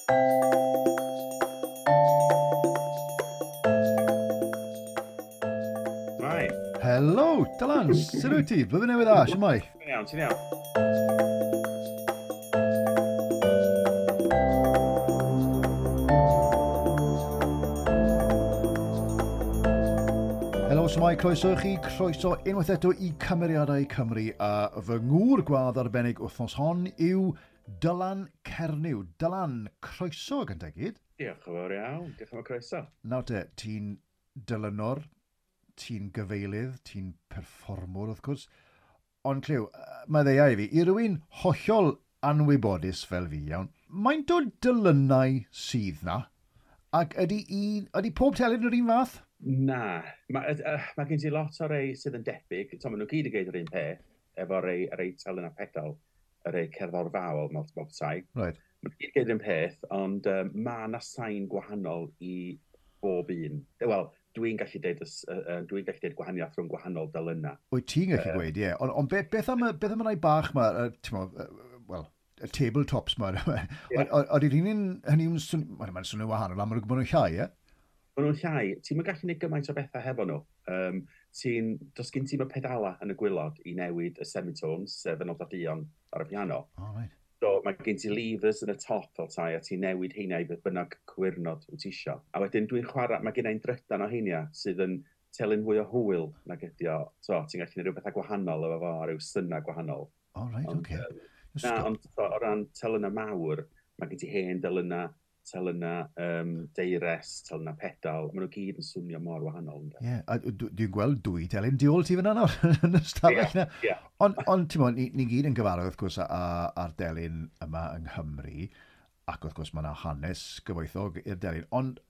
Mai. Helo, Dylan, sut wyt ti? Blwyddyn newydd dda, siwmai? Ti'n iawn, ti'n iawn. Helo, siwmai, croeso i chi, croeso unwaith eto i Cymeriadau Cymru, a fy ngŵr gwadd arbennig wythnos hon yw Dylan Cernyw. Dylan, croeso gyntaf gyd. Diolch yn fawr iawn, diolch am y croeso. Nawr te, ti'n dylynor, ti'n gyfeilydd, ti'n perfformwr wrth gwrs, ond clyw, mae ddeia i fi, i rywun hollol anwybodus fel fi, iawn, mae'n dod dylynau sydd na, ac ydy, un, ydy pob telyn yr un fath? Na, mae ma gen ti lot o rei sydd yn debyg, to, maen nhw gyd yn gweud yr un peth, efo rei, rei telyn a pedal, y rei cerddorfaol mewn bob tai. Right. Maen nhw gyd yn gweud yr un peth, ond mae yna sain gwahanol i bob un. Wel, dwi'n gallu deud, dwi'n gallu deud gwahaniaeth rhwng gwahanol delynau. Wyt ti'n gallu gweud, ie. Ond on beth am, beth am y rai bach ma, wel, y tabletops ma, ydy'r un hynny'n mae'n swnio wahanol, am maen nhw'n llai, ie? Maen nhw'n llai. Ti'n gallu gwneud gymaint o bethau hefo nhw. Does gen ti'm y pedala yn y gwylod i newid y semitones, sef y nodau duon ar y piano. Oh, right. So mae gen ti levers yn y top fel tai, a ti'n newid heina i beth bynnag cywirnod wyt ti isio. A wedyn dwi'n chwarae, mae gen i'n drydan o heina sydd yn telyn fwy o hwyl nag ydi o. So, ti'n gallu gwneud rhyw bethau gwahanol efo fo, a rhyw synnau gwahanol. Oh, right, ond, okay. Na, ond so, o ran telynau mawr, mae gen ti hen delynau, telynau deires, telynau pedal, maen nhw gyd yn swnio mor wahanol. Ie, yeah, a dwi'n gweld dwy telyn di ôl ti fyna nawr yn y stafell na. Yeah. Ond ti'n bod, ni gyd yn gyfarwydd wrth gwrs ar delyn yma yng Nghymru, ac wrth gwrs mae yna hanes gyfoethog i'r delyn. Ond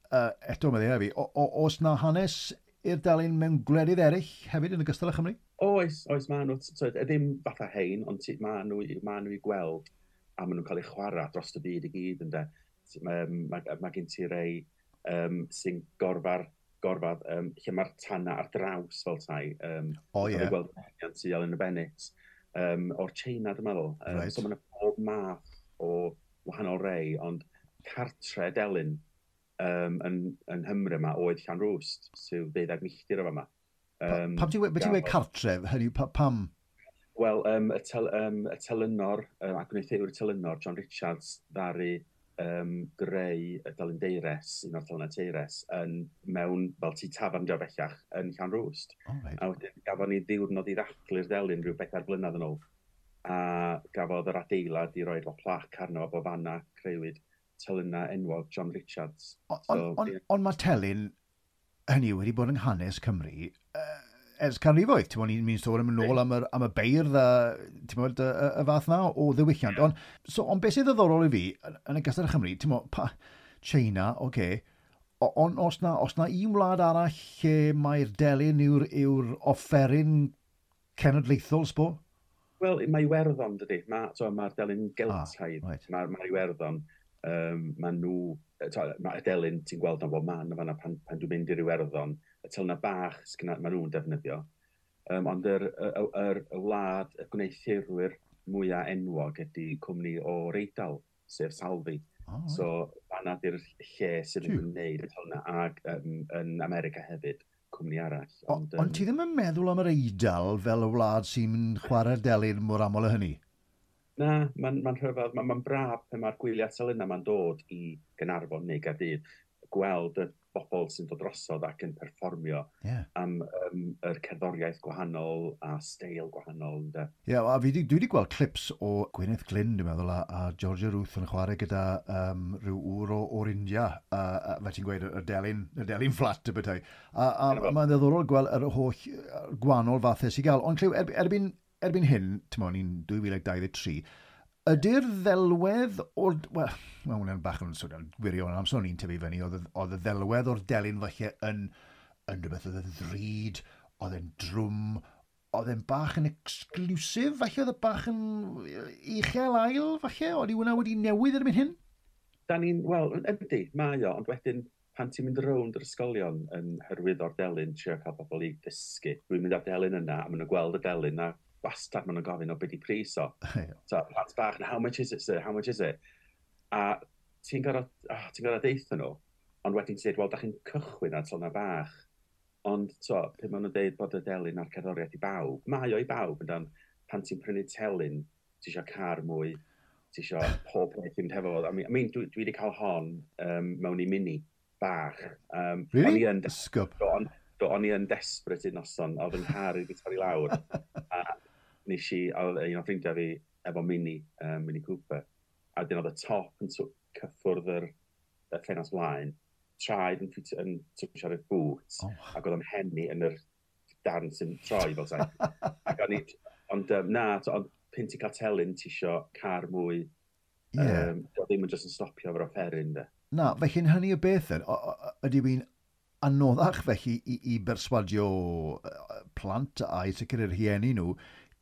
eto mae ddeia fi, oes na hanes i'r delyn mewn gwledydd eraill hefyd yn ogystal â Chymru? Oes, oes, maen nhw, so, ddim fatha hein, ond maen nhw i gweld a maen nhw'n cael eu chwarae dros y byd i gyd, ynde. Mae gen ti rei sy'n gorfad lle mae'r tanna ar draws fel tai. O, ie. Gweld yn tu ôl yn y Bennett, o'r China, dwi'n meddwl. Right. So mae'n pob math o wahanol rei, ond cartre delyn yn Nghymru yma oedd Llanrwst, sydd 12 milltir o fama. Pam ti'n gweud cartref? Hynny, pam? Wel, y telynor, a gwneuthurwr y telynor, John Richards, ddaru greu y delyn deires, un o'r telynau teires, yn mewn, fel tŷ tafarn dio bellach, yn Llanrwst. Oh, right. A wedyn gafon ni ddiwrnod i ddathlu'r delyn rhyw 4 blynedd yn ôl. A gafodd yr adeilad i roed o plac arno fo fanna creuwyd telynau enwog John Richards. Ond mae telyn, hynny wedi bod yng hanes Cymru ers canrifoedd. Ti'n bod, ni'n sôn am yn ôl am y beirdd a ti'n bod, y fath na o ddiwylliant. Ond so, on beth sydd ddiddorol i fi yn y gystal â Chymru, ti'n bod, China, oce, okay, ond os na un wlad arall lle mae'r delyn yw'r offeryn cenedlaethol, sbo? Wel, mae Iwerddon, dydy. Mae'r delyn Geltaidd. Right. Mae Iwerddon. Mae nhw, mae y delyn ti'n gweld am bob man o fanna pan dwi'n mynd i'r Iwerddon, y telynau bach maen nhw'n defnyddio. Ond y wlad, y gwneuthurwyr mwyaf enwog ydy cwmni o'r Eidal, sef Salvi. Oh, right. So, fanna di'r lle sydd yn gwneud y telynau, ac yn America hefyd, cwmni arall. Ond ti ddim yn meddwl am yr Eidal fel y wlad sy'n chwarae'r delyn mor aml â hynny? Na, mae'n rhyfedd, mae'n braf pan mae'r gwyliau telynau ma'n dod i Gaernarfon neu Gaerdydd, gweld y bobl sy'n dod drosodd ac yn perfformio am yr cerddoriaeth gwahanol a steil gwahanol. Ie, yeah, a dwi wedi gweld clips o Gwyneth Glyn, dwi'n meddwl, a Georgia Ruth yn chwarae gyda rhyw ŵr o'r India, fe ti'n gweud, y delyn fflat y bethau. A mae'n ddiddorol gweld yr holl gwahanol fathau sy'n gael. Ond clyw, erbyn hyn, ti'n meddwl, ni'n 2023, ydy'r ddelwedd o'r... Wel, mae hwnna'n bach yn swnio'n gwirion, amser o'n i'n tyfu fyny, oedd y ddelwedd o'r delyn falle yn rhywbeth oedd yn ddrud, oedd yn drwm, oedd yn bach yn exclusive, falle oedd y bach yn uchel ail, falle, oedd hwnna wedi newid erbyn hyn? Da ni'n, wel, yndi, mae o, ond wedyn pan ti'n mynd rownd yr ysgolion yn hyrwyddo'r delyn, trio cael pobl i ddysgu, dwi'n mynd â'r delyn yna, a maen nhw'n gweld y delyn, a wastad maen nhw'n gofyn o beth di pris o. So, plant bach, how much is it, sir? How much is it? A Ti'n gorfod, oh, ti gorfod deitha nhw, ond wedyn ti'n dweud, wel, da chi'n cychwyn ar telynau bach. Ond, so, pryd maen nhw'n dweud bod y delyn a'r cerddoriaeth i bawb, mae o i bawb, yn pan ti'n prynu telyn, ti eisiau car mwy, ti eisiau pob peth i fynd hefo fo. I mean, dwi wedi cael hon mewn i Mini bach. Really? O'n i yn, Ysgub. Do, o'n i yn desperate un noson, oedd yng nghar i wedi torri lawr. A nes i, oedd un o ffrindiau fi efo Mini, Mini Cooper, a dyn oedd y top yn cyffwrdd y ffenast flaen, traed yn twtsio'r y boot, ac oedd o'n henni yn yr darn sy'n troi fel sai. Ac o'n i, ond na, ond pyn ti'n cael telyn, ti isio car mwy, dio ddim yn just yn stopio efo'r offeryn, de. Na, felly'n hynny o beth then, ydy fi'n anoddach felly i berswadio plant a i sicr yr rhieni nhw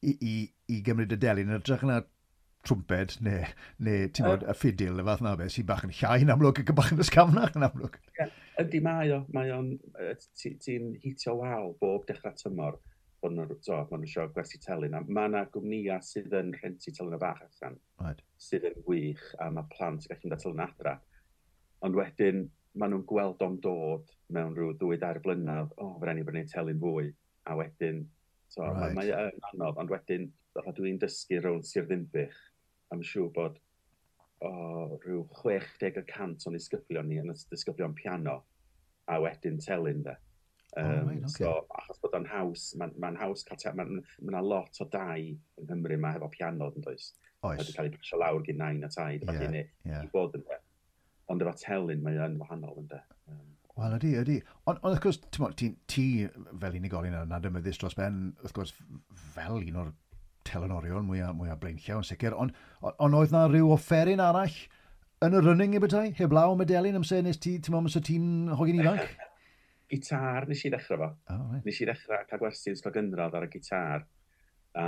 i gymryd y delyn yn hytrach na trwmped neu ti'n bod, y ffidil, y fath na beth, sy'n bach yn llai yn amlwg ac yn bach yn ysgafnach yn amlwg. Ie, ydy mae o, mae o'n, ti'n hitio wal bob dechrau tymor bod nhw'n, so, ma' nhw eisiau gwersi telyn. A mae yna gwmnïau sydd yn rhentu telyn bach allan, sydd yn wych, a mae plant yn gallu mynd â telyn adra. Ond wedyn, maen nhw'n gweld o'n dod mewn rhyw 2-3 blynedd, o, oh, fe ni brynu telyn fwy, a wedyn, so, mae yn anodd, ond wedyn, fatha dwi'n dysgu rownd Sir Ddinbych, I'm siŵr bod o, rhyw 60% o'n disgyblion ni yn y disgyblion piano, a wedyn telyn, de. Oh, right, okay. So, achos bod o'n haws, mae'n ma haws cael, mae'n ma lot o dai yng Nghymru yma hefo piano, yn does? Oes. Wedi cael ei pasio lawr gyn nain a taid, yeah, neu i bod yn de. Ond efo telyn mae yn wahanol, yn de. Wel, ydy. Ond wrth gwrs, ti'n ti fel unigolyn yn adnabyddus dros ben, wrth gwrs, fel un o'r telynorion mwyaf blaenllaw yn sicr, ond oedd na rhyw offeryn arall yn y running i bethau, heblaw am y delyn amser nes ti, ti'n meddwl, amser ti'n hogyn ifanc? Gitar nes i ddechrau fo. Oh, right. Nes i ddechrau cael gwersi yn ysgol gynradd ar y gitar. A,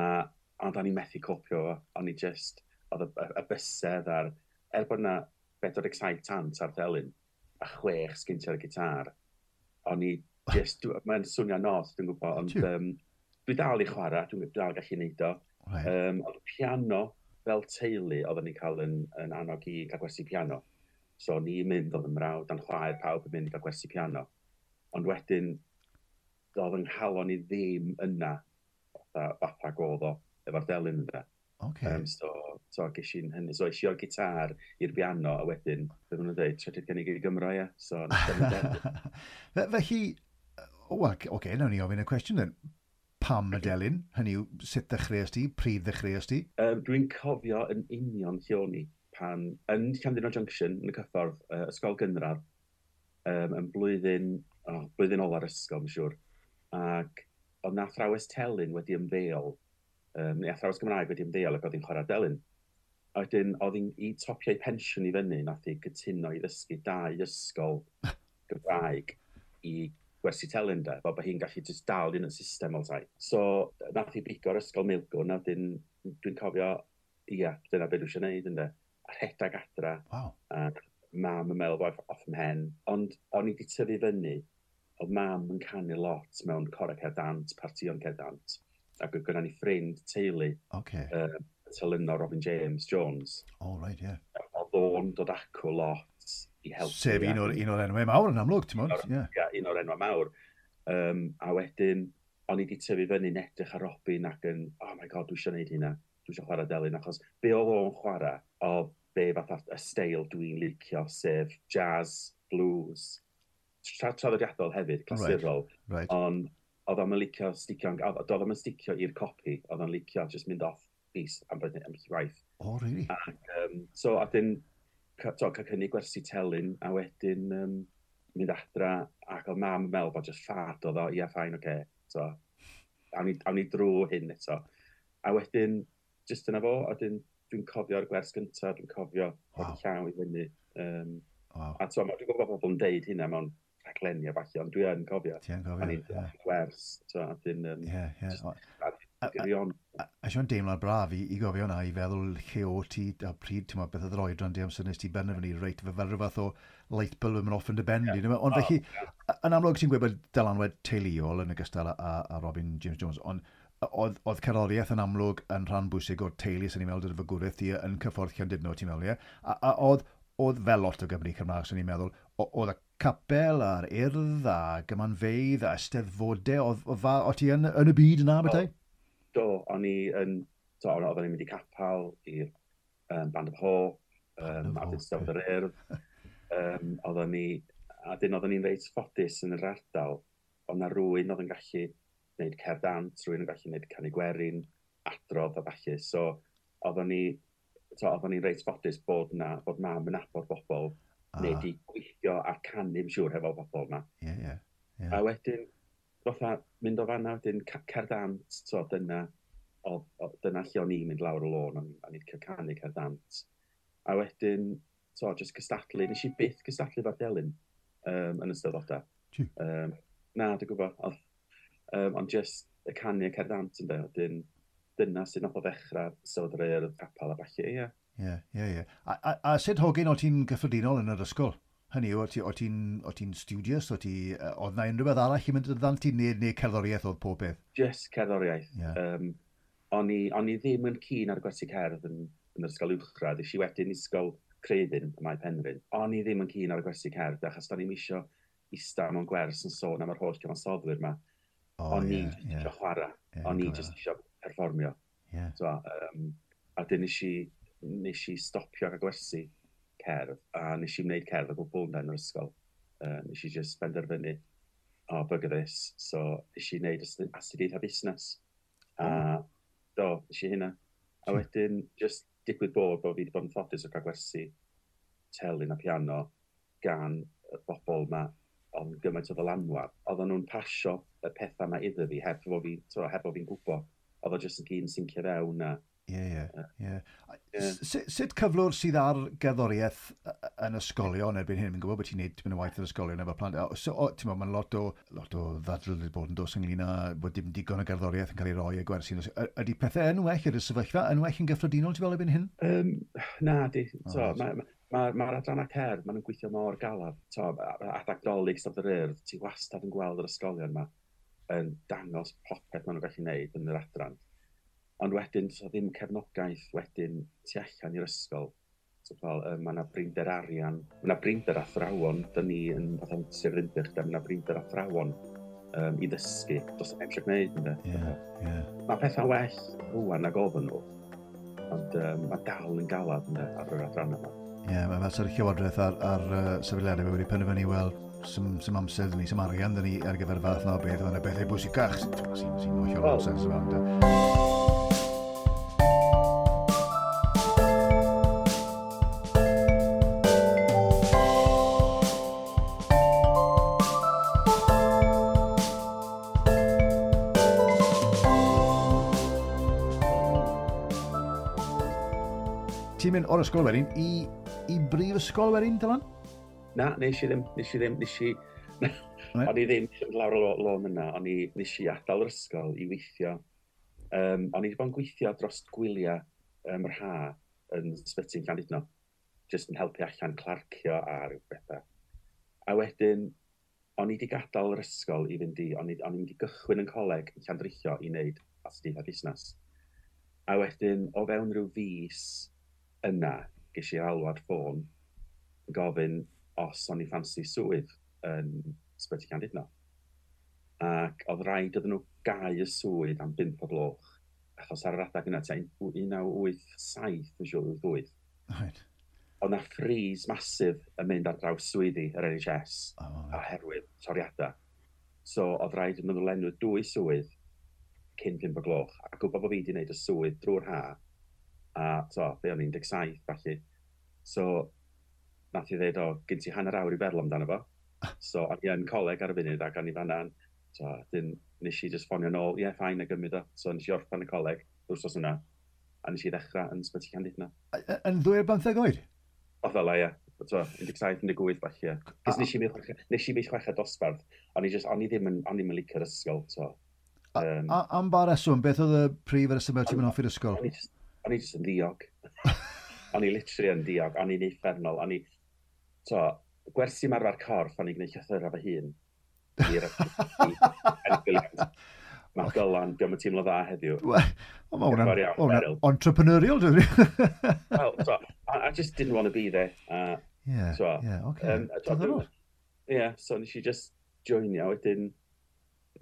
ond o'n i'n methu copio fo. O'n i just, oedd y bysedd ar, er bod na 47 tant ar delyn, a 6 sgyn ti ar y gitar, o'n i just, mae'n swnio nos, dwi'n gwybod, ond dwi dal i chwarae, dwi'n dal gallu neud o. Ond piano, fel teulu, oedden ni'n cael yn annog i cael gwersi piano. So o'n i'n mynd, oedd 'y mrawd a'n chwaer, pawb yn mynd i gael gwersi piano. Ond wedyn, doedd yng nghalon i ddim yna, fatha oedd o, efo'r delyn yna. So ges i'n hynny. So es i o'r gitar i'r piano, a wedyn, beth maen nhw'n dweud, trydydd gynnig i Gymro, ie. So, nes i delyn. Felly, o, wel, oce, okay, nawn ni ofyn y cwestiwn then. Pam y delyn? Hynny yw, sut ddechreuais ti? Pryd ddechreuais ti? Dwi'n cofio yn union lle o'n i pan, yn Llandudno Junction, yn y cyffordd, ysgol gynradd, yn blwyddyn, oh, blwyddyn ola'r ysgol, mae'n siŵr. Ac oedd na athrawes telyn wedi ymddeol, neu athrawes Gymraeg wedi ymddeol ac oedd hi'n chwarae delyn. A wedyn, oedd hi'n i topio ei pensiwn i fyny, nath hi gytuno i ddysgu dau ysgol Gymraeg i gwersi telyn de, fel bod hi'n gallu just dal yn y system o tai. So, nath hi bigo'r ysgol Milgwn, a wedyn dwi'n cofio, ia, dyna beth dwi eisiau gwneud, ynde. A rhedag adra, a mam yn meddwl bod off 'mhen. Ond o'n i wedi tyfu fyny, oedd mam yn canu lot mewn corau cerdd dant, partïon cerdd dant. Ac oedd gyda ni ffrind teulu, telynor Robin James Jones. Oh, right, yeah. Oedd o'n dod acw lot i helpu. Sef un o'r enwau mawr yn amlwg, ti'n mwyn? Ie. Ia, un o'r enwau mawr. A wedyn, o'n i wedi tyfu fyny'n edrych ar Robin ac yn, oh my God, dwi eisiau gwneud hynna. Dwi eisiau chwarae delyn, achos be oedd o'n chwarae, oedd be fatha y steil dwi'n licio, sef jazz, blues, traddodiadol hefyd, clasurol. Ond oedd o'n licio sticio, oedd o'n sticio i'r copi, oedd o'n licio just mynd off piece am waith. Oh, really? Ac, so, a dyn, to, cael cynnig gwersi telyn, a wedyn mynd adra, ac oedd mam yn meddwl bod just ffad oedd o, ia, fine, oce. Okay. So, awn ni drwy hyn eto. A wedyn, just yna fo, a wedyn dwi'n cofio'r gwers gyntaf, dwi'n cofio llaw i fyny. A to, dwi'n gwybod bod pobl yn deud hynna mewn rhaglenni a falle, ond dwi yn cofio. Ti yn cofio, O'n i'n gwers, to, a dyn, Ie. just carry on. A Sion deimlad braf i gofio hwnna, i feddwl lle o ti a pryd, ti'n meddwl, beth oedd yr oedran di amser nes ti benderfynu, reit, fel rhyw fath o light bulb yn mynd off yn dy ben di. Ond felly, yn amlwg ti'n gweud bod dylanwad teuluol yn ogystal â Robin James Jones, ond oedd cerddoriaeth yn amlwg yn rhan bwysig o'r teulu sy'n ni'n meddwl dy fagwraeth ti yn cyffordd Llandudno, ti'n meddwl, ie? A oedd Oedd fel lot o Gymru Cymraeg, swn i'n meddwl, oedd y capel a'r urdd a gymanfeydd a eisteddfodau, oedd ti yn y byd yna, bethau? Do, o'n i yn, do, oedden ni'n mynd i capel, i'r Band of Hope, a Eisteddfod yr Urdd. Oedden ni, a dyn oedden ni'n reit ffodus yn yr ardal, oedd na rywun oedd yn gallu gwneud cerdd dant, rywun yn gallu gwneud canu gwerin, adrodd a ballu. So, oedden ni, oedden ni'n reit ffodus bod, na, bod mam yn nabod bobl, neu di gweithio a canu, yn siŵr, hefo bobl yma. Yeah, yeah, yeah. A wedyn, fatha, mynd o fanna, wedyn, cerdd dant, so, dyna, dyna lle o'n i'n mynd lawr y lôn, o'n i'n cael canu cerdd dant. A wedyn, so, just cystadlu, nes i byth cystadlu fo'r delyn yn y steddfodau. Na, dwi'n gwybod. Ond just y canu y cerdd dant yn wedyn, dyna sydd nath o ddechrau Steddfod yr Urdd, capel a ballu, ie. Ie, ie, ie. A sut hogyn o ti'n gyffredinol yn yr ysgol? Hynny yw, o ti'n studious, oedd na unrhyw beth arall i mynd yn ddant i neu cerddoriaeth oedd pob peth? Just cerddoriaeth. Yeah. O'n i ddim yn keen ar gwersi cerdd yn yr ysgol uwchradd. Es i wedyn i ysgol Creuddyn ym Mae Penrhyn. O'n i ddim yn keen ar gwersi cerdd, achos do'n i'm isio ista mewn gwers yn sôn am yr holl cyfansoddwyr yma. O'n i jyst isio chwarae. O'n i jyst isio perfformio. Yeah. So, a dyn nes i stopio ar y gwersi cerdd, a nes i wneud cerdd o gwbl yn yr ysgol. Nes i just benderfynu, oh, bugger this. So, nes i wneud astudiaethau busnes. A do, nes i hynna. A wedyn, just digwydd bod fi wedi bod yn ffodus o cael gwersi telyn a piano gan y bobl yma ond gymaint o ddylanwad. Oedden nhw'n pasio y pethau yma iddo fi, heb bo fi'n gwybod. Oedd o jyst yn gyd yn sincio fewn a... Ie, ie. Sut cyflwr sydd ar gerddoriaeth yn ysgolion erbyn hyn? Fi'n gwybod bod ti'n neud tipyn o waith yn ysgolion efo plant. So, ti'n meddwl, mae'n lot o ddadl wedi bod yn dos ynglyn â bod dim digon o gerddoriaeth yn cael ei roi y gwersi. Ydy pethau yn well, ydy'r sefyllfa yn well yn gyffredinol, ti'n fel erbyn hyn? Na, di. So, Mae'r adrannau cerdd, maen nhw'n gweithio mor galad. Adag Dolig, Steddfod yr Urdd, ti wastad yn gweld yr ysgolion yma yn dangos popeth maen nhw'n gallu gwneud yn yr adran. Ond wedyn, so ddim cefnogaeth wedyn tu allan i'r ysgol. So, fel, mae yna brinder arian, mae yna brinder athrawon, dyn ni yn fatha Sir Ddinbych, mae yna brinder athrawon i ddysgu. Does neb eisiau gwneud, ynde? Yeah, yeah. Mae pethau well rŵan nag oedden nhw, ond mae dal yn galad ynde, ar yr adran yma. Ie, yeah, mae fel sy'r llywodraeth a'r sefydliadau wedi penderfynu, wel, sim amser dyn ni, sim arian dyn ni ar gyfer y fath na o beth, mae'n bethau bwysicach sy'n hollol nonsens yma. Ti'n mynd o'r ysgol wedyn i brifysgol wedyn, Dylan? Na, nes i ddim. O'n i ddim eisiau mynd lawr y lôn yna, o'n i, nes i adael yr ysgol i weithio. O'n i wedi bod yn gweithio dros gwyliau yr ha yn Sbyty'n Llandudno, jyst yn helpu allan clarcio a rhyw bethau. A wedyn, o'n i wedi gadael yr ysgol i fynd i, o'n i'n mynd i gychwyn yn coleg yn Llandrillo i wneud astudiaethau busnes. A wedyn, o fewn rhyw fis yna, ges i alwad ffôn yn gofyn os o'n i ffansi swydd yn Sbyty Llandudno. Ac oedd rhaid iddyn nhw gau y swydd am 5 o gloch, achos ar yr adeg yna, tua 1987, yn siŵr, 88. Right. Oedd na freeze masif yn mynd ar draws swyddi yr NHS oherwydd toriadau. So oedd rhaid iddyn nhw lenwi 2 swydd cyn 5 o gloch, a gwybod bod fi wedi gwneud y swydd drwy'r ha, a so, be o'n 17, felly. So, nath i ddeud, o, gen ti hanner awr i feddwl amdano fo. So, o'n i yn coleg ar y funud ac o'n i fan'na. So, dyn, nes i just ffonio nôl, ie, yeah, fine, a gymryd o. So, nes i orffen y coleg, wrthnos yna, a nes i ddechrau yn Sbyty Llandudno. Yn 12 oed? O, fel la, ie. So, 17, 18, falle. Cos nes i mis chweched dosbarth, o'n i ddim yn licio'r ysgol, so. Am ba reswm, beth oedd y prif reswm ti'n mynd off i'r ysgol? O'n i just yn ddiog. O'n i literally yn ddiog, o'n i'n uffernol, o'n i... So, gwersi marfer corff, o'n i'n gwneud llythyrau fy hun. Mae Dylan, diolch yn teimlo dda heddiw. Wel, mae hwnna'n entrepreneurial, dwi'n Well, so, I just didn't want to be there. Yeah, so, yeah, okay. Yeah, so nes i just joinio wedyn,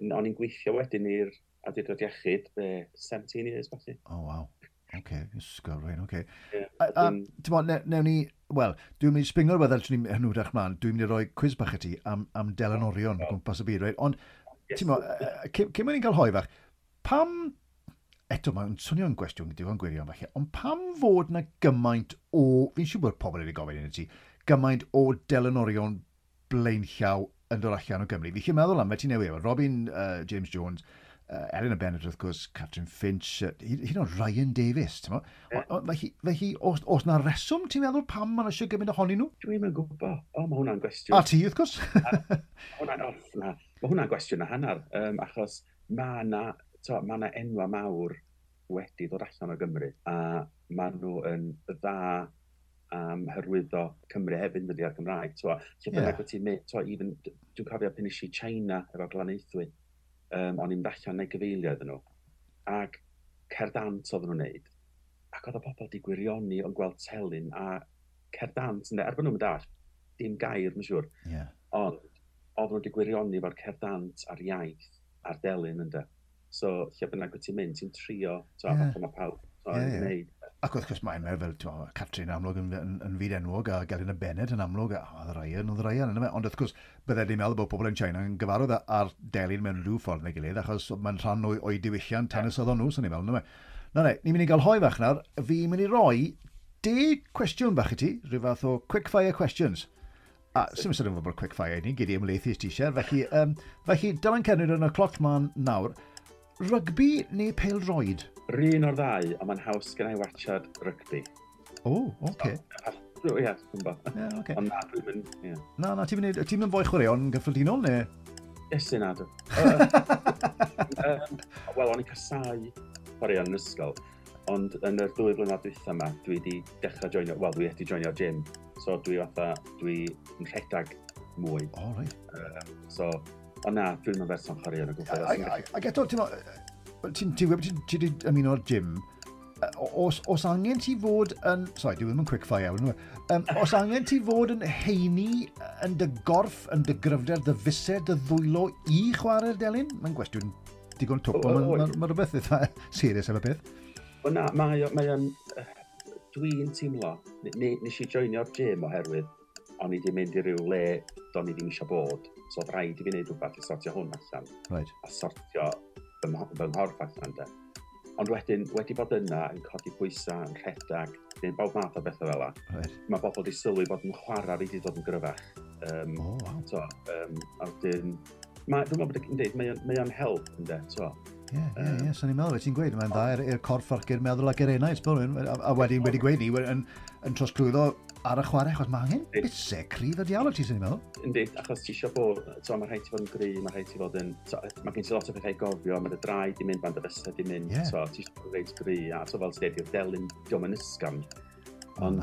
o'n i'n gweithio wedyn i'r Awdurdod Iechyd, 17 years, falle. Oh, wow. Okay, ysgol, right, okay. Yeah, ti'n bod, newn ni, wel, dwi'n mynd i sbingo rhywbeth ar ni'n hynwydach mlaen, dwi'n mynd i roi quiz bach i ti am delanorion o gwmpas y byd, right? Ond, yes. Ti'n bod, cyn mynd i'n cael hoi fach, pam, eto mae'n swnio'n gwestiwn digon gwirion falle, ond pam fod na gymaint o, fi'n siŵr bod pobl wedi gofyn i ti, gymaint o delanorion blaenllaw yn dod allan o Gymru. Fi chi'n meddwl am, fe ti'n newid, Robin James Jones, Elena Bennett, wrth gwrs, Catrin Finch, hyd yn oed Ryan Davies, ti'n mo? Felly, os na reswm ti'n meddwl pam ma'n eisiau gymaint ohonyn nhw? Dwi'n yn gwybod. O, mae hwnna'n gwestiwn. A ti, wrth gwrs. Mae hwnna'n gwestiwn a hanner, achos mae na, ma na enwa mawr wedi dod allan o Gymru, a maen nhw yn dda am hyrwyddo Cymru hefyd yn dydi ar Gymraeg. Lle bynnag wyt ti'n mynd, even, dwi'n cofio pan nes i China efo Glanaethwy, o'n i'n mynd allan neu gyfeilio iddyn nhw, ac cerdant oedden nhw'n neud, ac oedd y bobl di gwirioni o'n gweld telyn a cerdant, ynde, er bod nhw'n mynd dim gair, mae'n siŵr, ond oedden nhw wedi gwirioni efo'r cerdant a'r iaith a'r delyn, ynde. So, lle bynnag wyt ti'n mynd, ti'n trio, fatha mae pawb yn gwneud. Ac wrth gwrs mae'n meddwl fel, Catrin amlwg yn fyd enwog a Gelyn Bennett yn amlwg, a oedd Ryan, yna. Ond wrth gwrs, bydde ni'n meddwl bod pobl yn China yn gyfarwydd ar delyn mewn rhyw ffordd neu gilydd, achos mae'n rhan o'i diwylliant hanesyddol nhw, sy'n ni'n meddwl, yna. Na, ni'n mynd i gael hoi fach nawr. Fi'n mynd i roi 10 cwestiwn bach i ti, rhyw fath o quick fire questions. A sy'n mynd i fod quick fire i ni, gyd i ymlaethu ti eisiau. Felly, Dylan Cernwyd yn y cloc man nawr. Rygbi neu pêl-droed? Run o'r ddau, ond mae'n haws gen i watchad rygbi. O, oce. Ie, dwi'n bo. Ie, oce. Ond na, dwi'n mynd, ie. Na, ti'n mynd fwy chwaraeon gyffredinol, neu? Iesu, na, dwi. Wel, o'n i'n casau chwaraeon yn ysgol, ond yn yr 2 blynedd dwytha yma, dwi wedi dechrau joinio, wel, dwi wedi joinio'r gym. So dwi fatha, dwi'n rhedeg mwy. O, reit. So, ond na, dwi'n mynd berson chwaraeon o gwbl. Ac eto, ti'n ti wedi ymuno'r gym, os angen ti fod yn... Sorry, dwi ddim yn quick fire iawn. Os angen ti fod yn heini yn dy gorff, yn dy gryfder, dy fused, dy ddwylo i chwarae'r delyn? Mae'n gwestiwn digon twp, ond mae rhywbeth eitha serious efo beth. O na, mae o'n... Dwi'n teimlo, nes i joinio'r gym oherwydd o'n i wedi mynd i ryw le do'n i ddim eisiau bod. So oedd rhaid i fi wneud rhywbeth i sortio hwn allan. Right. A sortio fy nghorff allan, de. Ond wedyn, wedi bod yna yn codi pwysau, yn rhedeg, neu bob math o bethau fel 'na. Right. Mae bobl wedi sylwi bod yn chwarae fi wedi dod yn gryfach. Oh, wow. So, a wedyn, dwi'n meddwl bod yn dweud, mae o'n help, ynde, so. Ie, so ni'n meddwl, ti'n gweud, mae'n dda i'r corff ac i'r meddwl ac i'r enaid, a wedyn wedi gweud ni, yn trosglwyddo ar y chwarae, achos mae angen bysau cryf y diawl o ti, sy'n ni'n meddwl. Yndi, achos ti eisiau bod, so, mae rhaid ti fod yn gry, mae rhaid ti fod yn, so, mae gen ti lot o bethau i gofio, mae dy draed di mynd, mae dy fysedd di mynd, so, ti eisiau bod yn reit gry, a so fel ti'n dweud, i'r delyn, diolch yn ysgafn. Ond,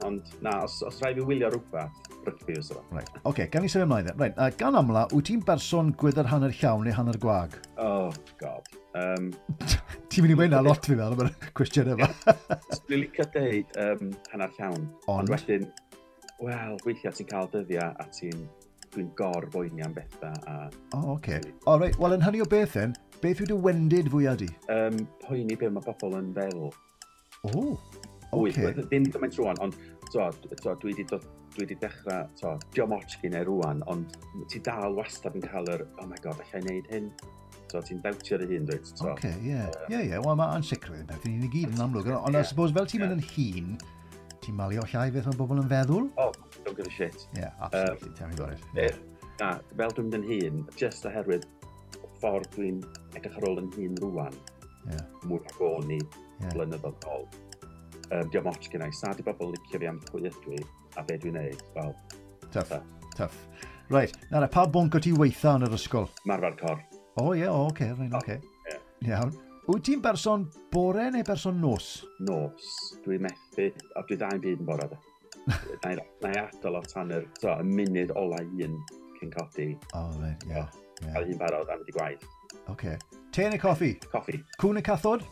ond, na, os rhaid fi wylio rhywbeth, rygbi os yma. Right, oce, okay, gan i symud ymlaen. Right, gan amla, wyt ti'n berson gwydr hanner llawn neu hanner gwag? Oh, God. Ti'n mynd i weud na lot fi fel am y cwestiwn yma. Dwi'n licio deud hanner llawn. Ond wedyn, wel, weithiau ti'n cael dyddiau a dwi'n gorboeni am bethau. O, oce. O, reit, wel, yn hynny o beth then, beth yw dy wendid fwyaf di? Poeni be mae bobl yn feddwl. O, oce. Ddim gymaint rwan, ond dwi wedi dechrau, diolch ots gen i rwan, ond ti dal wastad yn cael yr, oh my god, allai wneud hyn. So, ti'n dawtio dy hun, dwyt. Oce, ie. Ie, wel, mae ansicrwydd yn peth, ni'n i gyd yn amlwg. Ond I suppose, fel ti'n mynd yn hun, ti'n malio llai beth mae bobl yn feddwl? Oh, don't give a shit. Yeah, absolutely, tell me about it. Na, fel dwi'n mynd yn hun, just oherwydd ffordd dwi'n edrych ar ôl yn hun rwan, mwy nag o'n i blynyddoedd ôl. Diolch ots gen i, sa di bobl licio fi am pwy ydw i a be dwi'n neud. Well, tough. Right, nawr, pa bwnc o ti weitha yn yr ysgol? Marfer corff. O ie, oce, rhaid, oce. Iawn. Wyt ti'n berson bore neu berson nos? Nos. Dwi'n methu, a dwi ddau'n byd yn bore, de. Na i adael o tan y munud ola un cyn codi. O, reit, ie. Cael hi'n barod am mynd i gwaith. Oce. Te neu coffi? Coffi. Cwn neu cathod?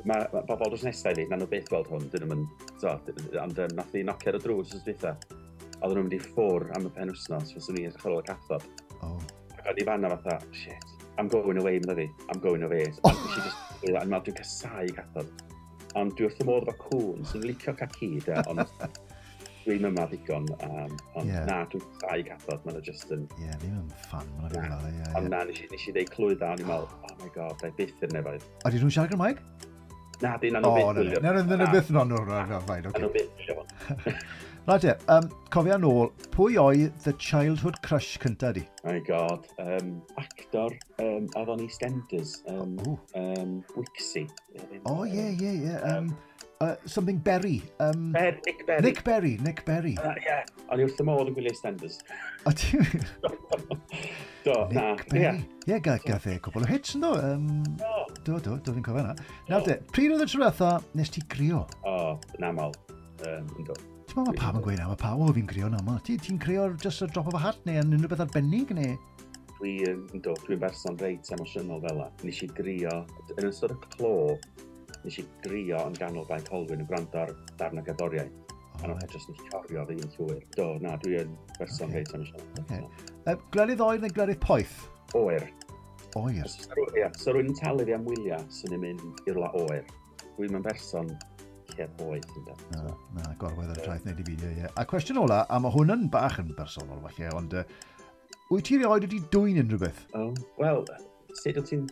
Mae bobl drws nesaf i fi, na nhw byth gweld hwn, dyn nhw'n so, ond nath i nocio ar y drws wrth dwytha. Oedden nhw'n mynd i ffwr am y penwsnos, fyswn i'n edrych ar ôl y cathod. Oh. Ac o'n i fanna fatha, "Shit, I'm going away," medda fi. "I'm going away." Oh. Nes i just, dwi'n meddwl, dwi'n casau cathod. Ond dwi wrth y modd efo cwn, sy'n licio cael ci, de, ond dwi'n yma ddigon. Ond na, dwi'n casau cathod, maen nhw just yn. Ie, yeah, ddim yn fan, mae'n fi'n meddwl. Yeah, ond na, nes i ddeud clwydda, o'n i'n meddwl, "Oh my God, da i byth i'r nefoedd." A di nhw'n siarad Gymraeg? Na, di, na nhw byth gwylio. Na, na, na, byth, no, no, no, no, fine, oce. Na nhw byth gwylio hwn. Right te, cofia nôl, pwy oedd the childhood crush cynta di? Oh my God. Actor, oedd o'n EastEnders. Wixie. Oh, ie. Something Berry. Nick Berry. Nick Berry, Nick Berry. Yeah. O'n i wrth y modd yn gwylio EastEnders. O, ti? Do, na. Nick Berry. Ie, yeah, gath e cwbl o hits yn do. Do, fi'n cofio na. Nawr te, pryd oedd y tro diwetha nes ti grio? O, yn aml. Ynddo. Ti'n meddwl mae pawb yn gweud na, mae pawb, "O, fi'n crio yn aml." Ti'n crio just a drop of a hat neu yn unrhyw beth arbennig neu? Dwi'n dwi'n berson reit emosiynol fel la. Nes i grio, yn ystod y clo, nes i grio yn ganol Bae Colwyn yn gwrando ar darn o gerddoriaeth. Oh, a nath just yn llorio fi yn llwyr. Do, na, dwi'n berson reit emosiynol. Okay. Gwledydd oer neu gwledydd poeth? Oer. Oer. Ie, so rwy'n talu fi am wyliau sy'n mynd i rwla oer. Dwi'n yn berson lle poeth. Ynde. Na, na, gorwedd ar y traeth neu di fideo, ie. A cwestiwn ola, a mae hwn yn bach yn bersonol falle, ond wyt ti erioed wedi dwyn unrhyw beth? Oh, wel, sut wyt ti'n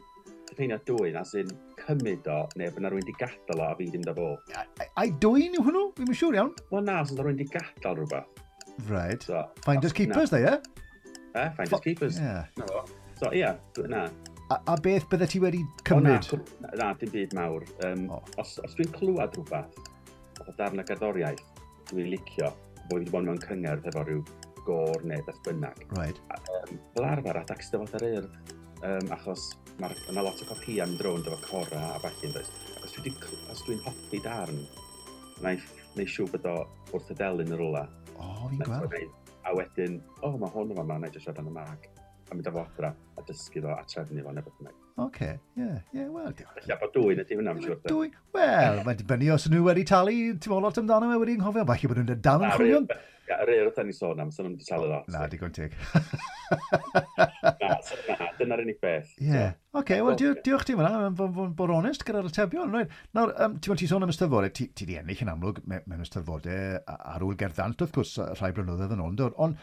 diffinio dwyn, as in cymryd o, neu bod na rhywun wedi gadael o a fi ddim da fo? Ai dwyn yw hwnnw? Fi'n siŵr iawn. Wel na, os yna rhywun wedi gadael rhywbeth. Right. So, finders keepers, da, ie? Eh, finders keepers. Yeah. Na fo. So, ie, yeah, na. A beth bydde ti wedi cymryd? O, na, na, dim byd mawr. Os dwi'n clywed rhywbeth, o darn o gerddoriaeth, dwi'n licio, bod wedi bod mewn cyngerdd efo rhyw gôr neu beth bynnag. Fel arfer, adag Steddfod yr Urdd, achos mae yna lot o copïau yn drôn efo cora a ballu, does. Ac os dwi'n hoffi darn, na i neud siŵr bod o wrth y delyn yn rwla. O, fi'n gweld. A wedyn, "O, oh, mae hwn yn fama, na i jyst siarad am y mag." A mynd â fo adra a dysgu fo a trefnu fo neu beth bynnag. Oce, ie, wel. Felly, bod dwyn ydy hwnna, I'm siŵr. Dwy, wel, mae'n dibynnu os nhw wedi talu, ti'n meddwl lot amdano fe wedi anghofio, falle bod nhw'n dal yn chwilio. Ie, yr Urdd ni sôn am, sy'n nhw'n wedi talu lot. Na, digon teg. Na, so, na, dyna'r unig beth. Ie. Oce, wel, diolch ti fyna, bod onest gyda'r atebion. Right. Nawr, ti'n ti sôn am Eisteddfodau, ti di ennill yn amlwg mewn Eisteddfodau ar Ŵyl Gerdd Ddant, wrth gwrs, rhai blynyddoedd yn ôl, ond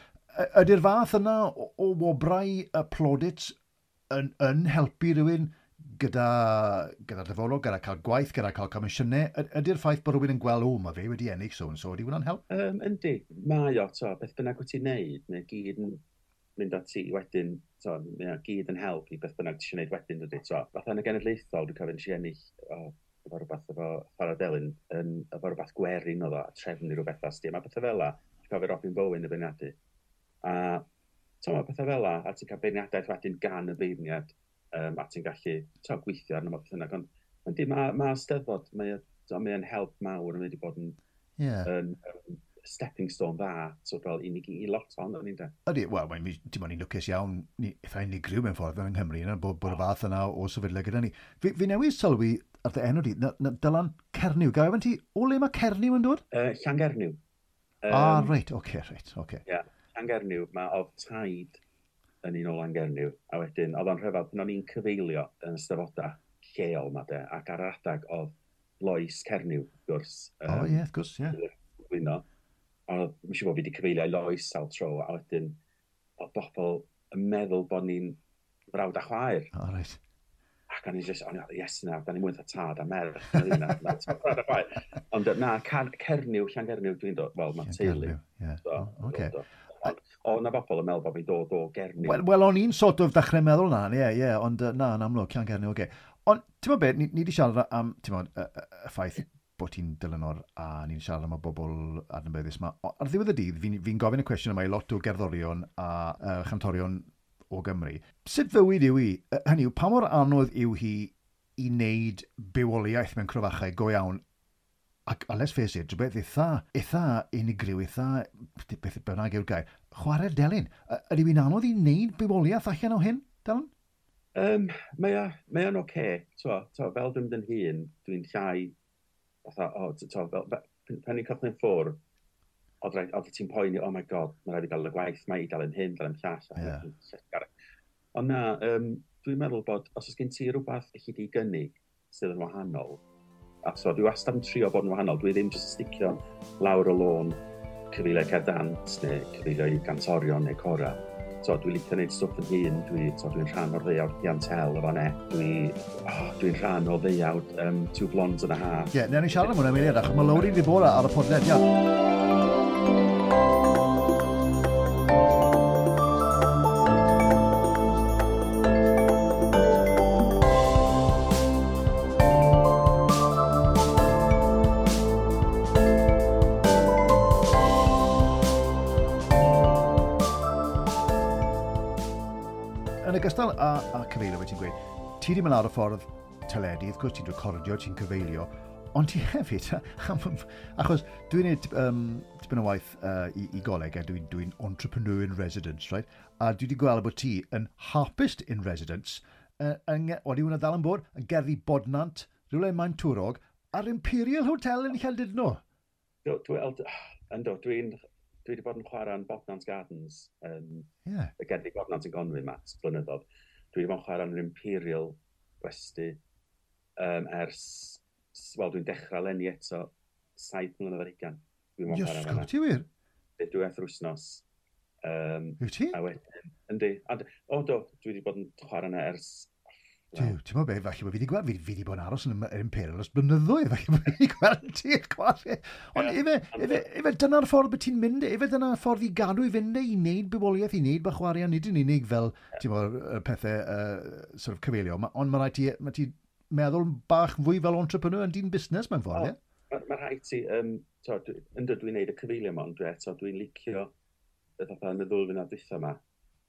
ydy'r fath yna o wobrau y plaudits yn helpu rhywun gyda dyfodol, gyda cael gwaith, gyda cael comisiynau? Ydy'r ffaith bod rhywun yn gweld, "O, mae fe wedi ennill so and so," ydy hwnna'n help? Yndi, mae o, to, beth bynnag wyt ti'n neud, mae gyd yn mynd at ti wedyn, to, mae o gyd yn help i beth bynnag ti eisiau neud wedyn, dydy, to. Fatha yn y genedlaethol, dwi'n cofio nes i ennill, o, efo rhywbeth efo chwarae delyn, yn, efo rhywbeth gwerin oedd o, a trefnu rhywbeth asti. Mae pethau fel la, dwi'n cofio Robin Bowen y beirniadu. A to, mae pethau fel la, a ti'n cael beirniadaeth wedyn gan y beirniad, a ti'n gallu to, gweithio arno fo beth bynnag. Ond yndi, mae Steddfod, mae o'n help mawr, mae wedi bod yn yn stepping stone dda, so fel i ni i lot ohono ni, de. Ydy, wel, ti'n bod ni'n lwcus iawn, ni eitha unigryw mewn ffordd yng Nghymru, yna, bod y fath yna o sefydliad gyda ni. Fi newydd sylwi ar dy enw di, na, Dylan Cernyw. Ga i ofyn ti, o le mae Cernyw yn dod? Llangernyw. Ah, reit, oce, reit, oce. Ie, Llangernyw, mae oedd taid yn un o Langernyw, a wedyn oedd o'n rhyfedd pan o'n i'n cyfeilio yn y steddfodau lleol ma de, ac ar yr adag oedd Lois Cernyw, wrth gwrs. O, ie, wrth gwrs, ie. Gwyno. A mae'n siŵr bod fi wedi cyfeilio i Lois sawl tro, a wedyn oedd bobl yn meddwl bod ni'n frawd a chwaer. O, reit. Ac o'n i just, o'n i, yes na, da ni mwy fatha tad a merch. Na, na, tad a chwaer. Ond na, Cernyw, Llangernyw, dwi'n dod, wel, mae teulu. Ie. Do, Oce. do, do. Ond o, na bobl yn meddwl bod fi'n dod o Gernyw. Wel, o'n i'n sort of dechrau meddwl na, ie, ond na, yn amlwg, Llangernyw, oce. Ond, ti'n meddwl beth, ni wedi siarad am, ti'n meddwl, y ffaith bod ti'n dilynor a ni'n siarad am y bobl adnabyddus yma. Ar ddiwedd y dydd, fi'n fi gofyn y cwestiwn yma i lot o gerddorion a chantorion o Gymru. Sut fywyd yw hi? Hynny yw, pa mor anodd yw hi i wneud bywoliaeth mewn crofachau go iawn? Ac, a let's face it, rhywbeth eitha unigryw, eitha, beth bynnag yw'r gair, chwarae'r delyn. Ydy hi'n anodd i wneud bywoliaeth allan o hyn? Dylan? Mae o'n oce. Okay. Fel dwi'n mynd yn hŷn, dwi'n llai, fatha, o, to, fel, pan ni'n cychwyn ffwrdd, oedd ti'n poeni, oh my God, mae rhaid i gael y gwaith, mae i gael yn hyn, gael yn llall. Yeah. Ond na, dwi'n meddwl bod os oes gen ti rhywbeth i chi di gynnig sydd yn wahanol, a so dwi wastad yn trio bod yn wahanol, dwi ddim jyst yn sticio lawr y lôn cyfeilio cerdd dant neu cyfeilio i gantorion neu cora. So, dwi'n licio gwneud stwff yn hun, dwi'n so, dwi rhan o'r ddeuawd Piantel efo ne. Dwi'n rhan o ddeuawd Two Blondes and a Half. Ie, yeah, newn ni siarad am hwnna eiliad, achos mae Lowri wedi bod ar y podlediad. Yn ogystal â cyfeilio, fe ti'n gweud, ti wedi mynd lawr y ffordd teledu, wrth gwrs ti'n recordio, ti'n cyfeilio, ond ti hefyd, achos dwi'n gwneud tipyn o waith i goleg, a dwi'n dwi entrepreneur in residence, right? A dwi wedi gweld bod ti yn harpist in residence, wedi hwnna ddal yn bod, yn Gerddi Bodnant, rhywle yn Maentwrog, a'r Imperial Hotel yn Llandudno. Ynddo, dwi wedi bod yn chwarae yn Bodnant Gardens, y Gerddi Bodnant yn Gonwy ma, blynyddoedd. Dwi wedi bod yn chwarae yn yr Imperial Westy ers, wel, dwi'n dechrau leni eto, 7 mlynedd ar hugain. Dwi'n bod yn chwarae fan'na. Ti wir? Dwywaith yr wythnos. Wyt ti? A wedyn, yndi. O, do, dwi wedi bod yn chwarae yna ers... Duw, ti'n meddwl be, falle bod fi wedi gweld, fi wedi bod yn aros yn yr Imperial ers blynyddoedd, falle bod fi wedi gweld ti'n chwarae. Ond ife dyna'r ffordd bod ti'n mynd, ife dyna'r ffordd i gadw i fynd, i wneud bywoliaeth, i wneud bach o arian, nid yn unig fel, ti'n meddwl, y pethau sort of cyfeilio, ond mae rhaid ti, mae ti meddwl bach fwy fel entrepreneur yn dyn busnes mewn ffordd, ie? Mae rhaid ti, ynddo dwi'n neud y cyfeilio yma, ond eto dwi'n licio, fatha yn y ddwy flynedd dwytha yma,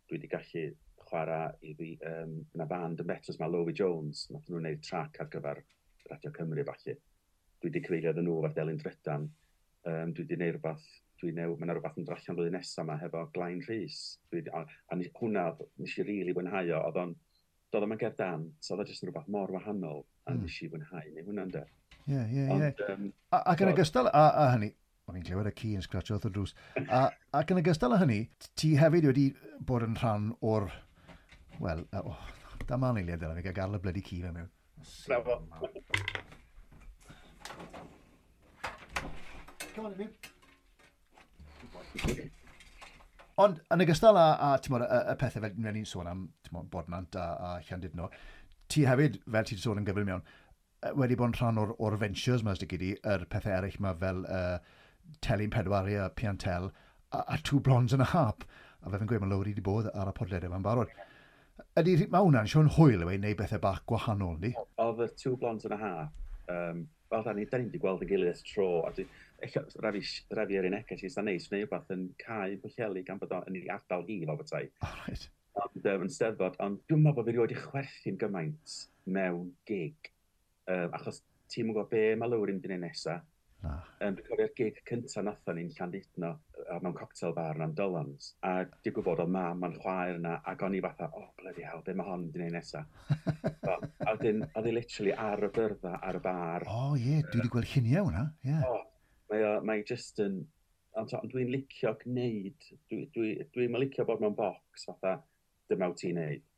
dwi wedi gallu chwarae i fi, yna band yn Betws ma, Lowy Jones, nath nhw'n gwneud trac ar gyfer Radio Cymru falle. Dwi wedi cyfeilio iddyn nhw efo'r Delyn Drydan. Dwi wedi gwneud rhywbeth, mae yna rhywbeth yn dod allan flwyddyn nesaf yma hefo Glain Rhys. Hwnna nes i rili fwynhau o, oedd o'n, doedd o'm yn gerdd dant, oedd o jyst yn rhywbeth mor wahanol, a nes i fwynhau neu hwnna'n de. Ie, ie, ie. Ac yn ogystal â hynny, o'n i'n clywed y ci yn sgratio wrth y drws, ac yn ogystal â hynny, ti hefyd wedi bod yn rhan o'r, wel, dyma eiliad yna, fi gael gael y blydi ci fe mewn. Bravo. Come on, Emil. Ond yn ogystal â ti'n bod, y pethau fel ni'n sôn am, ti'n bod, Bodnant a Llandudno, ti hefyd, fel ti wedi sôn yn gyflym iawn, wedi bod yn rhan o'r ventures yma, os di, yr pethau eraill yma fel Telyn Pedwar a Piantel a Two Blondes and a Harp. A fe fi'n gweud, mae Lowri wedi bod ar y podlediad yma'n barod. Ydy, mae hwnna'n siŵr hwyl yw e, neu bethau bach gwahanol, ni? Oedd y Two Blondes and a Harp, fel da ni wedi gweld yn gilydd ers tro, a rafi yr un neges i, sa'n neis, neu rhywbeth yn cael Pwllheli gan bod o'n ei ardal hi fel bethau. Oh, right. Ond yn Steddfod, ond dwi'n meddwl bod fi rioed i chwerthin gymaint mewn gig, achos ti'n gwybod be mae Lowri'n mynd i wneud nesa. Na. Dwi'n cofio'r gig cyntaf nathon ni'n Llandudno, mewn cocktail bar yn Dolans, a digwydd bod oedd mam a'n chwaer yna, ac o'n i fatha, oh, bloody hell, be mae hon mynd i wneud nesa? So, a wedyn, oedd hi literally ar y byrddau, ar y bar. O, oh, ie, yeah, dwi wedi gweld lluniau hwnna, ie. Yeah. Oh, mae just yn, ond dwi'n licio gwneud, dwi'n licio bod mewn box, fatha, dyma wyt ti'n neud.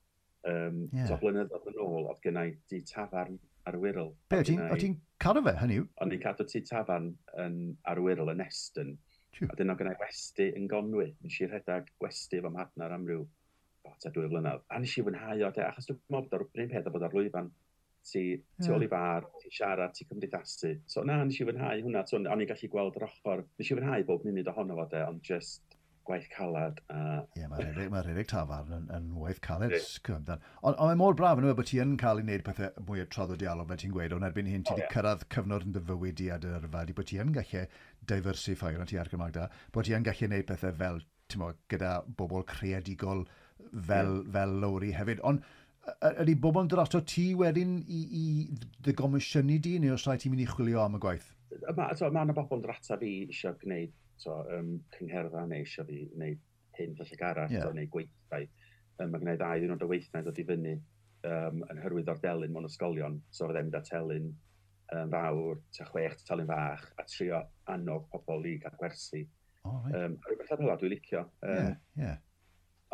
Yeah. So, blynyddoedd yn ôl, oedd gynna i di tafarn ar y Wirral. Be, o ti'n cadw fe, hynny yw? O'n i'n cadw tŷ tafarn ar y Wirral yn Eston. A dyn o'n gynna i westy yn Gonwy. Nes i rhedeg gwesty efo mhartnar am ryw 2 flynedd. A nes i fwynhau o, de, achos dwi'n meddwl bod o'r un peth o bod ar lwyfan. Ti ôl i bar, ti'n siarad, ti'n cymdeithasu. So na, nes i fwynhau hwnna. So, o'n i'n gallu gweld yr ochr. Nes i fwynhau bob munud ohono fo, de, ond just gwaith calad. Ie, mae rhedeg tafarn yn waith caled. Ond mae mor braf yn yw bod ti yn cael ei wneud pethau mwy o traddodiadol, fel ti'n gweud, ond erbyn hyn ti wedi cyrraedd cyfnod yn dy fywyd di a dy yrfa, di bod ti yn gallu diversify, ond ti ar Gymraeg da, bod ti yn gallu gwneud pethau fel, ti'n mo, gyda bobl creadigol fel Lowri hefyd. Ond ydy bobl yn dod ato ti wedyn i dy gomisiynu di, neu os rhaid ti'n mynd i chwilio am y gwaith? Mae yna bobl yn dod ata fi eisiau gwneud cyngherddau neu eisiau fi wneud hyn felly arall, neu gweithdai. Mae gen i ddau ddiwrnod o weithnau dod i fyny yn hyrwyddo'r delyn mewn ysgolion. So fydda i'n mynd â telyn fawr, ta 6 telyn fach, a trio annog pobl i gael gwersi. Oh, right. Rhywbeth fel 'na dwi'n licio. Yeah.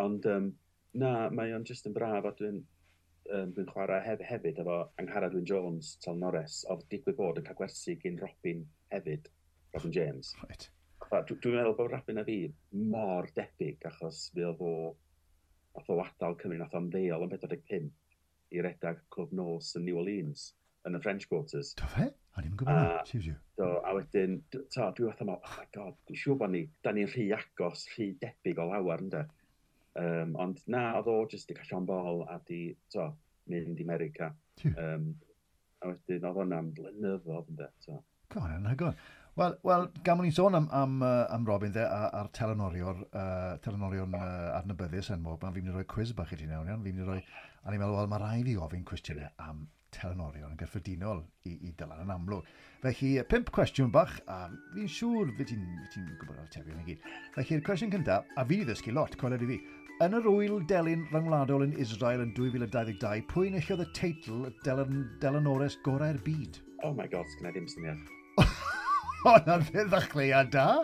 Ond na, mae o'n just yn braf, a dwi'n chwarae hefyd efo Angharad Wyn Jones, telynores, oedd digwydd bod yn cael gwersi gyn Robin hefyd, Robin James. Right. Dwi'n meddwl bod Robin a fi mor debyg, achos fe oedd o, nath o adael Cymru, nath o ymddeol yn 45 i redag clwb nos yn New Orleans, yn y French Quarters. Do fe? A ni'n gwybod na, siw. Do, a wedyn, to, dwi fatha, oh my God, dwi'n siŵr bod ni, da ni'n rhy agos, rhy debyg o lawer, ynde. Ond na, oedd o jyst di cael llond bol a di, to, mynd i America. A wedyn, oedd hwnna'n blynyddoedd, ynde. To. God, anhygoel. Wel, gan bod ni'n sôn am Robin dde, a'r telynorion adnabyddus enwog, fi'n mynd i roi quiz bach i ti nawr, iawn. Fi'n mynd i roi, a ni'n meddwl, wel, mae rhaid fi ofyn cwestiynau am telynorion yn gyffredinol i Dylan yn amlwg. Felly, 5 cwestiwn bach, a fi'n siŵr fi ti'n gwybod yr atebion i gyd. Felly'r cwestiwn cyntaf, a fi wedi ddysgu lot, coeled i fi. Yn yr wyl delyn ryngwladol yn Israel yn 2022, pwy enillodd y teitl delynores gorau'r byd? Oh my God, sgynna i ddim syniad. O, na'n ddechreuad da.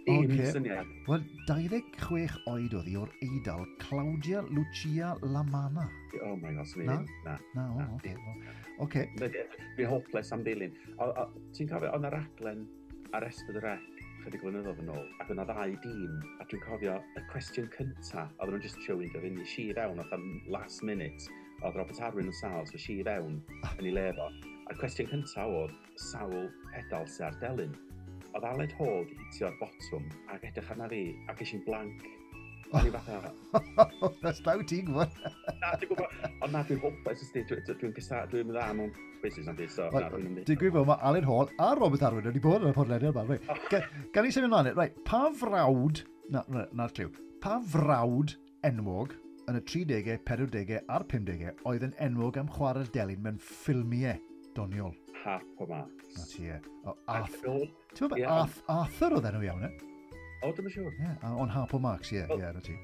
Dim syniad. Wel, 26 oed oedd hi o'r Eidal, Claudia Lucia Lamana. Oh my God, swn i ddim. Na. Na, o, oce. Oce. Fi'n hopeless am dilyn. Ti'n cofio, oedd 'na raglen ar S4C chydig blynyddoedd yn ôl, ac oedd 'na ddau dîm, a dwi'n cofio y cwestiwn cynta, oedden nhw'n just trio weindio fyny, si fewn, oedd am last minute, oedd Robert Arwyn yn sâl, so si fewn yn ei le fo. A'r cwestiwn cynta oedd sawl pedal sy ar delyn. Oedd Aled Hall di hitio'r botwm ac edrych arna fi, ac es i'n blank. O'n i fatha... That's daw ti'n gwybod. Na, dwi'n gwybod. Ond na, dwi'n hopeless, ysdi. Dwi'n cysa, dwi'n dda mewn quizzes na'n byd, so na, dwi'n mynd. Digwydd bod mae Aled Hall a Robert Arwyn wedi bod yn y podlediad yma. Reit. Gan i symud ymlaen, reit, pa frawd, na'r cliw, pa frawd enwog yn y 30au, 40au a'r 50au oedd yn enwog am chwarae'r delyn mewn ffilmiau doniol? Harpo Marx. Na ti, e. Ti'n meddwl, Arthur oedd enw iawn, e? O, dwi'n siŵr. Ie, ond Harpo Marx, ie, ie, na ti.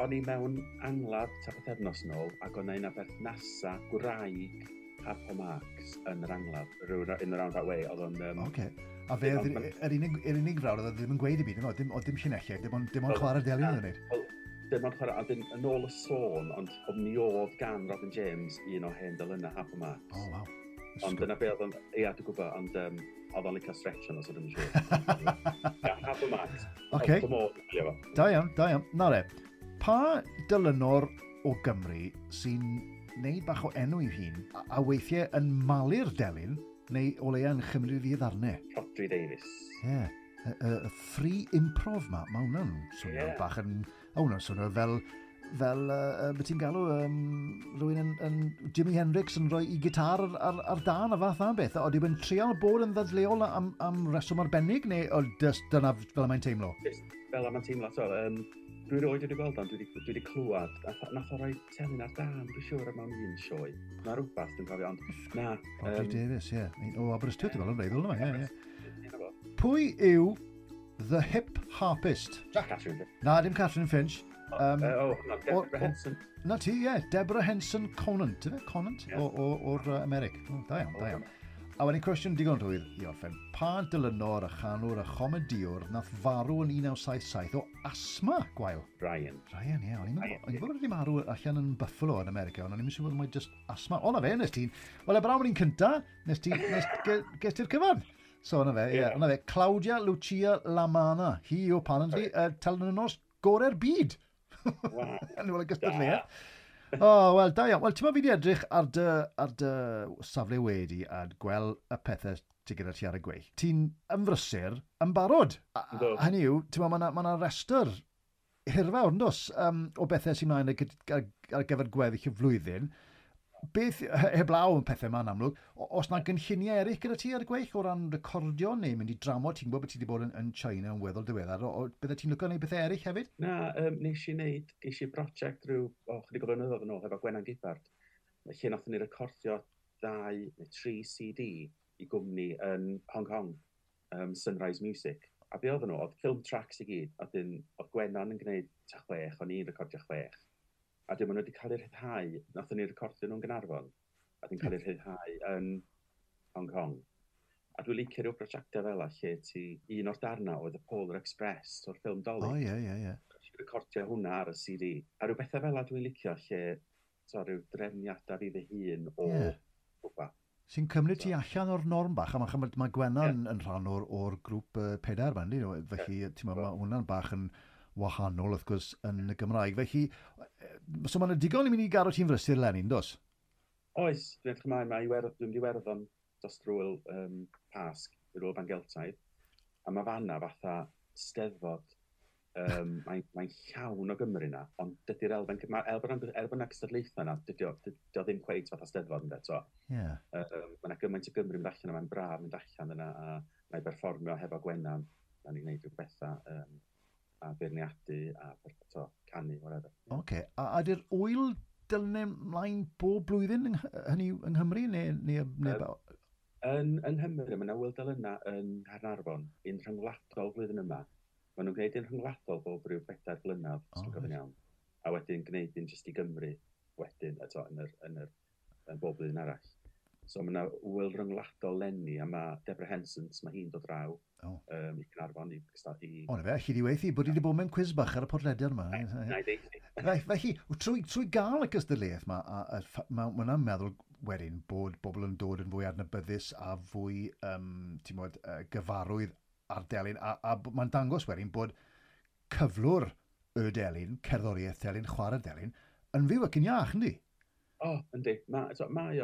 O'n i mewn angladd ta pythefnos nôl, ac o'n un o berthnasa gwraig Harpo Marx yn yr angladd, in the roundabout way, oedd o'n... Oce. A fe oedd yr unig frawd oedd ddim yn gweud i byd, oedd dim llinellau, dim ond chwarae'r delyn oedd yn gwneud. Dim ond chwarae, a yn ôl y sôn, ond mi oedd gan Robin James un o hen delynau Harpo Marx. O, waw. Ond dyna be oedd o'n... Ia, dwi'n gwybod, ond oedd o'n licio stretch yno, so dwi'n siŵr. Ia, Harpo Marx. Oce. Da iawn, da iawn. Na re, pa delynor o Gymru sy'n neud bach o enw i'w hun, a weithiau yn malu'r delyn, neu o leia yn chymryd i ddarnau? Rhodri Davies. Ie. Y free improv ma, mae hwnna'n swnio bach yn... Hwnna'n swnio fel, beth ti'n galw, rhywun yn Jimi Hendrix yn rhoi i gitar ar dan a fath na beth. Oeddi yn trial bod yn ddadleuol am reswm arbennig, neu o, dyna fel mae'n teimlo? Fel mae'n teimlo, to. Dwi roed wedi gweld o'n, dwi wedi clywed, nath o roi telyn ar dan, dwi'n siŵr mewn un sioe. Na rhywbeth, dwi'n cofio, ond na. Rhodri Davies, ie. O Aberystwyth, dwi'n meddwl, yn wreiddiol yma, ie. Pwy yw The Hip Harpist? Catherine Finch. Na, dim Catherine Finch. Deborah Henson. Na ti, ie. Deborah Henson Conant, ife? Conant? O'r Americ. Da iawn, da iawn. A wedyn cwestiwn digon rhwydd i orffen. Pa dylynor a chanwr a chomediwr nath farw yn 1977 o asma gwael? Ryan. Ryan, ie. O'n i'n gwybod wedi marw allan yn Buffalo yn America, ond o'n i'n siŵr bod mae just asma. O, na fe, nes ti'n... Wel, e brawn o'n i'n cynta, nes ti... Ges ti'r cyfan. So, na fe, ie. Na fe, Claudia Lucia Lamana. Hi yw apparently telynor gorau'r byd. Wow. Yn ôl y gystadleuaeth. O, wel, da iawn. Wel, ti'n meddwl fi wedi edrych ar dy safle wedi a gweld y pethau ti gyda ti ar y gweill. Ti'n ymfrysur yn barod. Hynny yw, ti'n meddwl, mae yna restr hirfawr, yn dos, o bethau sy'n mlaen ar gyfer gweddill y flwyddyn. Beth, heblaw yn pethau yma'n amlwg, os na gynlluniau eraill gyda ti ar y gweill o ran recordio neu mynd i dramor, ti'n gwybod bod ti wedi bod yn China yn weddol diweddar, bydde ti'n licio gwneud bethau eraill hefyd? Na, nes i wneud, ges i brosiect rhyw, chydig o blynyddoedd yn ôl efo Gwenan Gibbard, lle nathon ni recordio 2 neu 3 CD i gwmni yn Hong Kong, Sunrise Music. A be oedden nhw, oedd film tracks i gyd, a dyn, oedd Gwenan yn gwneud ta 6, o'n i'n recordio 6. A dim ond wedi cael eu rhyddhau, nathon ni recordio nhw'n Gaernarfon, a dwi'n cael eu rhyddhau yn Hong Kong. A dwi'n licio rhyw brosiectau fel lle ti, un o'r darna oedd y Polar Express o'r ffilm Dolig. O, ie, ie, ie. Recordio hwnna ar y CD. A rhyw bethau fel dwi'n licio lle, so, rhyw drefniadau fi fy hun o rhywbeth. Sy'n cymryd ti allan o'r norm bach, a mae Gwennan yn rhan o'r grŵp pedair yma, yndi? Felly, yeah. Mae hwnna'n bach yn wahanol, wrth gwrs, yn y Gymraeg. Felly, so mae'n digon i mynd i gadw ti'n frysur eleni, dos? Oes, dwi'n edrych ymlaen, mae dwi'n mynd i Iwerddon dros drwy'r Pasg, i'r Ŵyl Ban Geltaidd, a mae fanna fatha steddfod, mae'n llawn o Gymru na, ond dydy'r elfen, mae elfen, elfen cystadlaethau na, dydy o ddim cweit fatha steddfod ynddo, so. Yeah. Mae yna gymaint o Gymru mynd allan, a mae'n braf mynd allan yna, a mae'n berfformio hefo Gwennan, a ni'n gwneud rhyw bethau, a beirniadu, a to, canu, whatever. Oce, okay. A ydy'r ŵyl delynau mlaen bob blwyddyn hynny yng Nghymru, neu Yn Nghymru, mae yna ŵyl delynau yn Nghaernarfon, un rhyngwladol flwyddyn yma. Maen nhw'n gwneud un rhyngwladol bob rhyw 4 blynedd, os dwi'n gofyn iawn. A wedyn gwneud un jyst i Gymru, wedyn, eto, yn bob blwyddyn arall. So mae yna ŵyl rhyngwladol leni, a mae Deborah Henson, mae hi'n dod draw i Gaernarfon i... O, na fe, allu di weithi, bod i wedi bod mewn cwiz bach ar y podlediad yma. Na i deithi. Felly, trwy gael y gystadleuaeth yma, mae hwnna'n meddwl wedyn bod bobl yn dod yn fwy adnabyddus a fwy, ti'n modd, gyfarwydd ar delyn, a mae'n dangos wedyn bod cyflwr y delyn, cerddoriaeth delyn, chwarae delyn, yn fyw ac yn iach, yndi? O, yndi. Mae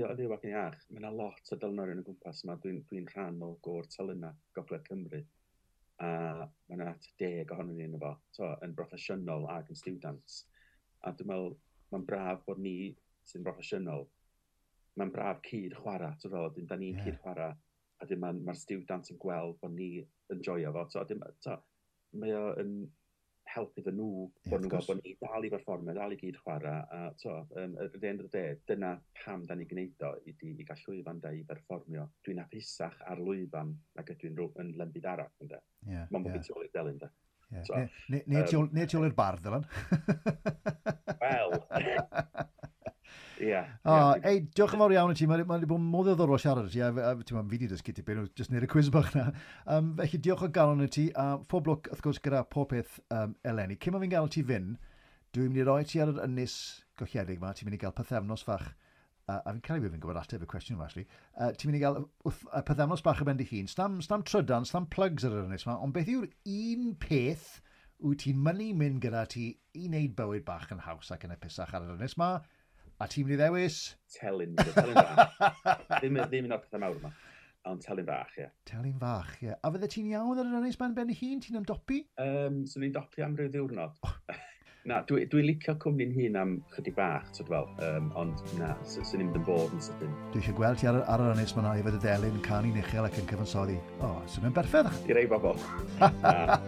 o yn fyw ac yn iach. Mae yna lot o delynorion o gwmpas yma. Dwi'n rhan o gôr telynau Gogledd Cymru. A mae yna 10 ohonon ni yno fo, so, yn broffesiynol ac yn students. A dwi'n meddwl, mae'n braf bod ni sy'n broffesiynol, mae'n braf cyd chwarae, ti'n fel, da ni'n cyd chwarae, a dim mae'r student yn gweld bod ni yn joio fo. So, so, mae o yn helpu iddyn nhw, bod nhw'n gweld bod ni dal i berfformio, dal i gyd chwarae. A, so, at the end of the day, dyna pam da ni'n gwneud o, i gael llwyfan da i berfformio. Dwi'n hapusach ar lwyfan nag ydw i'n yn lembyd arall, ynde. Yeah, Mae'n bod fi tu ôl i'r delyn, de. Yeah. So, neu tu ôl i'r bardd, Dylan. Wel... Ie. Ei, diolch yn fawr iawn i ti. Mae wedi bod mor ddiddorol siarad i ti. A fi wedi dysgu tipyn, jyst wneud y cwiz bach na. Felly diolch o galon i ti. A phob lwc, wrth gwrs, gyda pob peth eleni. Cyn ma fi'n gael ti fynd, dwi'n mynd i roi ti ar yr ynys golledig yma. Ti'n mynd i gael pythefnos fach. A fi'n cael ei fi'n gwybod ateb y cwestiwn yma, actually. Ti'n mynd i gael pythefnos bach o ben dy hun. Stam trydan, stam plugs ar yr ynys yma. Ond beth yw'r un peth wyt ti'n mynnu mynd gyda ti i wneud bywyd bach yn haws ac yn hapusach ar yr ynys yma? A ti'n mynd i ddewis? Telyn bach. Ddim un o'r pethau mawr yma, ond telyn bach, ie. Telyn fach, ie. A fydde ti'n iawn ar yr ynys ben ben hun? Ti'n ymdopi? Swn i'n dopi am ryw ddiwrnod. Na, dwi'n licio cwmni'n hun am chydig bach, ti'n fel, ond na, swn i'n mynd yn bod yn sydyn. Dwi eisiau gweld ti ar yr ynys yma efo dy delyn, canu'n uchel ac yn cyfansoddi. O, swn i'n berffaith. I rei bobl. Na.